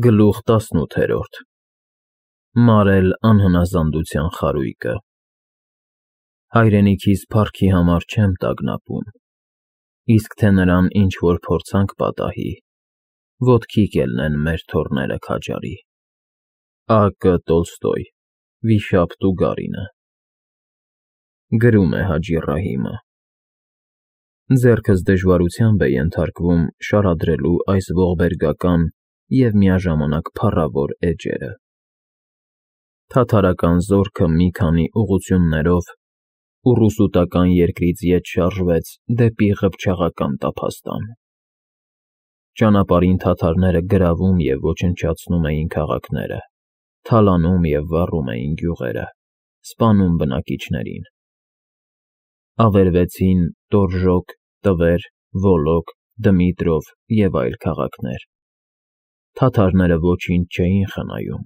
Գլուխ 18 Մարել անհնազանդության խարույկը Հայրենիքիս փառքի համար չեմ տագնապում, իսկ թե նրան ինչ-որ փորձանք պատահի, ոտքի կելնեն մեր թոռները քաջարի։ A.Կ. Տոլստոյ, Վիշապ Տուգարինը Գրում է Հաջի Ռահիմը։ Ձեռքս դժվարությամբ է ենթարկվում շարադրելու այս ողբերգական և միաժամանակ փառավոր էջերը։ Թաթարական զորքը մի քանի ուղղություններով ուռուսուտական երկրից ետ շարժվեց դեպի Ղփչաղական տափաստան։ Ճանապարհին թաթարները գրավում և ոչնչացնում էին քաղաքները, թալանում և վառում էին գյուղերը, սպանում բնակիչներին։ Ավերվեցին Տորժոկ, Տվեր, Վոլոգ, Դմիտրով և այլ քաղաքներ։ Թաթարները ոչինչ չէին խնայում,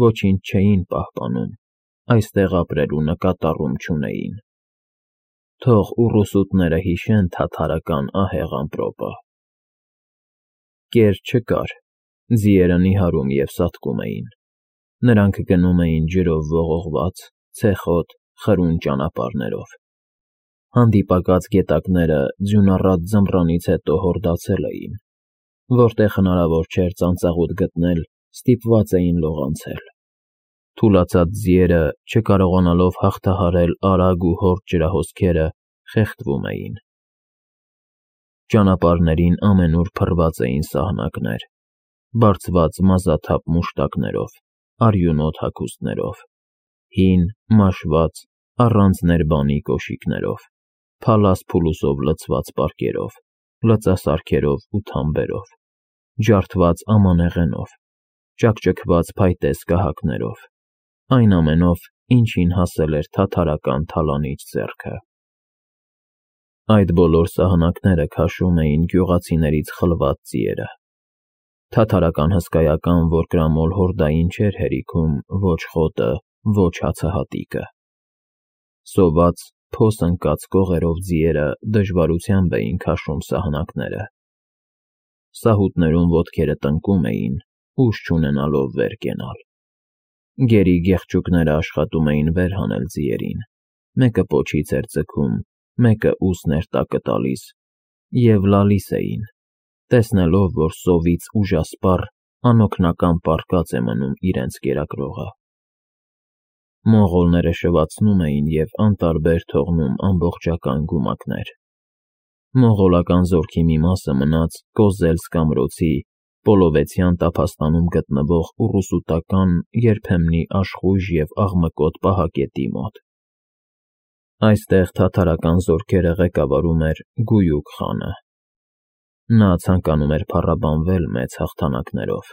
ոչինչ չէին պահպանում, այստեղ ապրելու նկատառում չունեին։ Թող ուռուսուտները հիշեն թաթարական ահեղ ամպրոպը։ Կեր չկար, ձիերը նիհարում և սատկում էին։ Նրանք գնում էին ջրով ողողված, ցեխոտ, խրուն ճանապարհներով։ Հանդիպակաց գետակները ձյունառատ ձմռանից հետո հորդացել էին, որտեղ հնարավոր չէր ծանծաղուտ գտնել, ստիպված էին լողանցել։ Թուլացած ձիերը, չկարողանալով հաղթահարել արագ ու հորդ ջրահոսքերը, խեղդվում էին։ Ճանապարհներին ամենուր փռված էին սահնակներ, բարձված մազաթափ մուշտակներով, արյունոտ հագուստներով, հին, մաշված, առանց ներբանի կոշիկներով, փալաս-փուլուսով լցված պարկերով, լծասարքերով ու թամբերով, ջարդված ամանեղենով, ճաքճքված փայտե սկահակներով, այն ամենով, ինչին հասել էր թաթարական թալանիչ ձեռքը։ Այդ բոլոր սահնակները քաշում էին գյուղացիներից խլված ձիերը։ Թաթարական հսկայական որկրամոլ հորդային չէր հերիքում ոչ խոտը, ոչ հացահատիկը։ Սոված, փոս ընկած կողերով ձիերը դժվարությամբ էին քաշում սահնակները։ Սահութներում ոտքերը տնկում էին, ուժ չունենալով վեր կենալ։ Գերի գեղչուկները աշխատում էին վեր հանել ձիերին, մեկը պոչից էր ձգում, մեկը ուսն էր տակը տալիս, և լալիս էին, տեսնելով, որ սովից ուժասպառ, անօգնական պառկած է մնում իրենց կերակրողը։ Մոնղոլները շվացնում էին և անտարբեր թողնում ամբողջական գումակներ։ Մոնղոլական զորքի մի մասը մնաց Կոզելսկ ամրոցի Պոլովեցյան տափաստանում գտնվող ուռուսուտական երբեմնի աշխույժ և աղմկոտ պահակետի մոտ։ Այստեղ թաթարական զորքերը ղեկավարում էր Գույուկ խանը։ Նա ցանկանում էր փառաբանվել մեծ հաղթանակներով,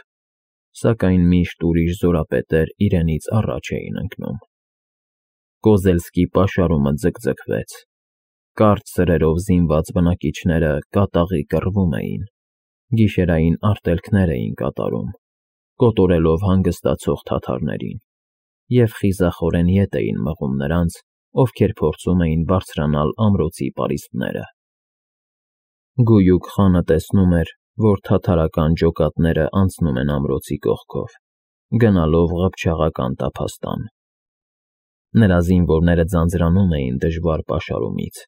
սակայն միշտ ուրիշ զորապետեր իրենից առաջ էին ընկնում։ Կոզելսկի պաշարումը ձգձգվեց։ Կարճ սրերով զինված բնակիչները կատաղի կռվում էին, գիշերային արտելքներ էին կատարում, կոտորելով հանգստացող թաթարներին, և խիզախորեն ետ էին մղում նրանց, ովքեր փորձում էին բարձրանալ ամրոցի պարիսպները։ Գույուկ խանը տեսնում էր, որ թաթարական ջոկատները անցնում են ամրոցի կողքով, գնալով Ղփչաղական տափաստան։ Նրա զինվորները ձանձրանում էին դժվար պաշարումից,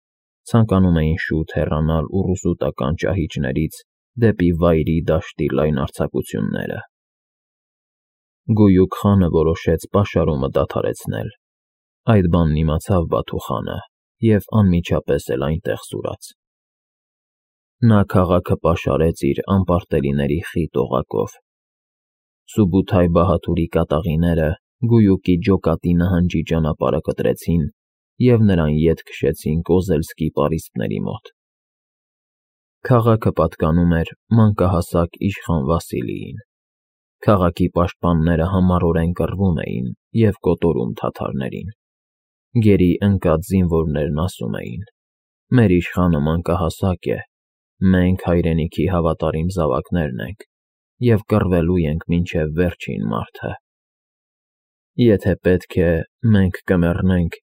ցանկանում էին շուտ հեռանալ ուռուսուտական ճահիճներից դեպի վայրի դաշտի լայնարձակությունները։ Գույուկ խանը որոշեց պաշարումը դադարեցնել։ Այդ բանն իմացավ Բաթու խանը և անմիջապես էլ այնտեղ սուրաց։ Նա քաղաքը պաշարեց իր անպարտելիների խիտ օղակով։ Սուբութայ բահադուրի կատաղիները Գույուկի ջոկատի նահանջի ճանապարհը կտրեցին և նրան ետ քշեցին Կոզելսկի պարիսպների մոտ։ Քաղաքը պատկանում էր մանկահասակ իշխան Վասիլիին։ Քաղաքի պաշտպանները համառորեն կռվում էին և կոտորում թաթարներին։ Գերի ընկած զինվորներն ասում էին. «Մեր իշխանը մանկահասակ է, մենք հայրենիքի հավատարիմ զավակներն ենք և կռվելու ենք մինչև վերջին մարդը։ Եթե պետք է, մենք կմեռնենք,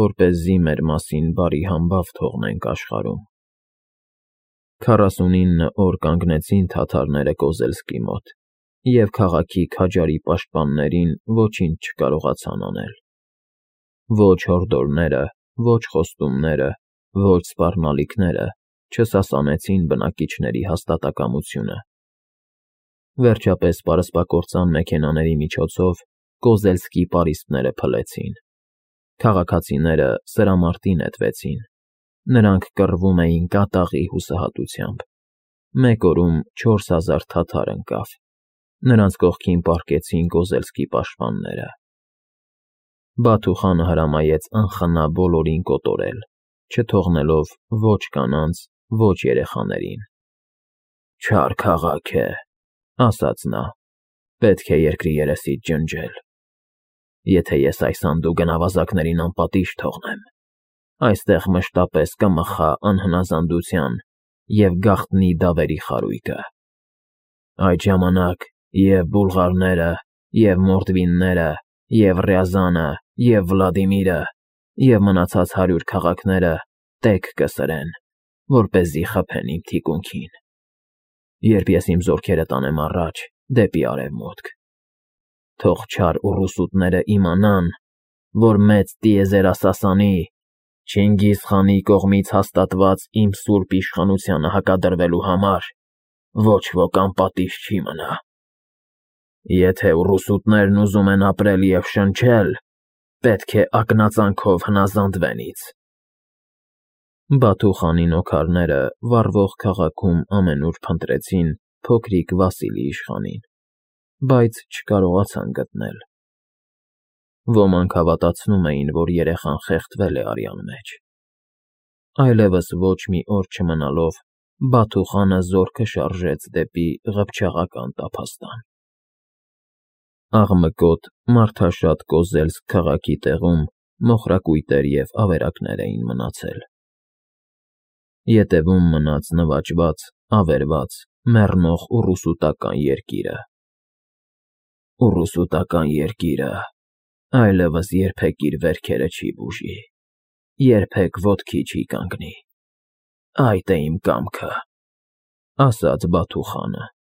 որպեսզի մեր մասին բարի համբավ թողնենք աշխարհում»։ 49 օր կանգնեցին թաթարները Կոզելսկի մոտ և քաղաքի քաջարի պաշտպաններին ոչինչ չկարողացան անել։ Ոչ հորդորները, ոչ խոստումները, ոչ սպառնալիքները չսասանեցին բնակիչների հաստատակամությունը։ Վերջապես պարսպակործան մեքենաների միջոցով Կոզելսկի պարիսպները փլեցին։ Քաղաքացիները սրամարտի նետվեցին։ Նրանք կռվում էին կատաղի հուսահատությամբ։ Մեկ օրում 4000 թաթար ընկավ։ Նրանց կողքին պառկեցին Կոզելսկի պաշտպանները։ Բաթուխանը հրամայեց անխնա բոլորին կոտորել, չթողնելով ոչ կանանց, ոչ երեխաներին։ «Չար քաղաք է,» ասաց նա, «պետք է երկրի երեսից ջնջել։ Եթե ես այս սանդուղքն ավազակներին անպատիժ թողնեմ, այստեղ մշտապես կմխա անհնազանդության և գաղտնի դավերի խարույկը։ Այդ ժամանակ և՛ բուլղարները, և՛ մորդվինները, և՛ Ռյազանը, և՛ Վլադիմիրը, և մնացած 100 քաղաքները տեք կսրեն, որպեսզի խփեն իմ թիկունքին, երբ ես իմ զորքերը տանեմ առաջ դեպի արևմուտք։ Թող չար ուռուսուտները իմանան, որ մեծ տիեզերասասանի՝ Չինգիզ խանի կողմից հաստատված իմ սուրբ իշխանությանը հակադրվելու համար ոչ ոք անպատիժ չի մնա։ Եթե ուռուսուտներն ուզում են ապրել և շնչել, պետք է ակնածանով հնազանդվեն ինձ»։ Բաթուխանի նոքարները վառվող քաղաքում ամենուր փնտրեցին փոքրիկ Վասիլի իշխանին, բայց չկարողացան գտնել։ Ոմանք հավատացնում էին, որ երեխան խեղդվել է արյան մեջ։ Այլևս ոչ մի օր չմնալով Բաթուխանը զորքը շարժեց դեպի Ղփչաղական տափաստան։ Աղմկոտ, մարդաշատ Կոզելսկ քաղաքի տեղում մոխրակույտեր և ավերակներ էին մնացել։ Ետևում մնաց նվաճված, ավերված, մեռնող ուռուսուտական երկիրը։ Ուռուսուտական երկիրը այլևս երբեք իր վերքերը չի բուժի, երբեք ոտքի չի կանգնի։ Այդ է իմ կամքը, ասաց Բաթուխանը։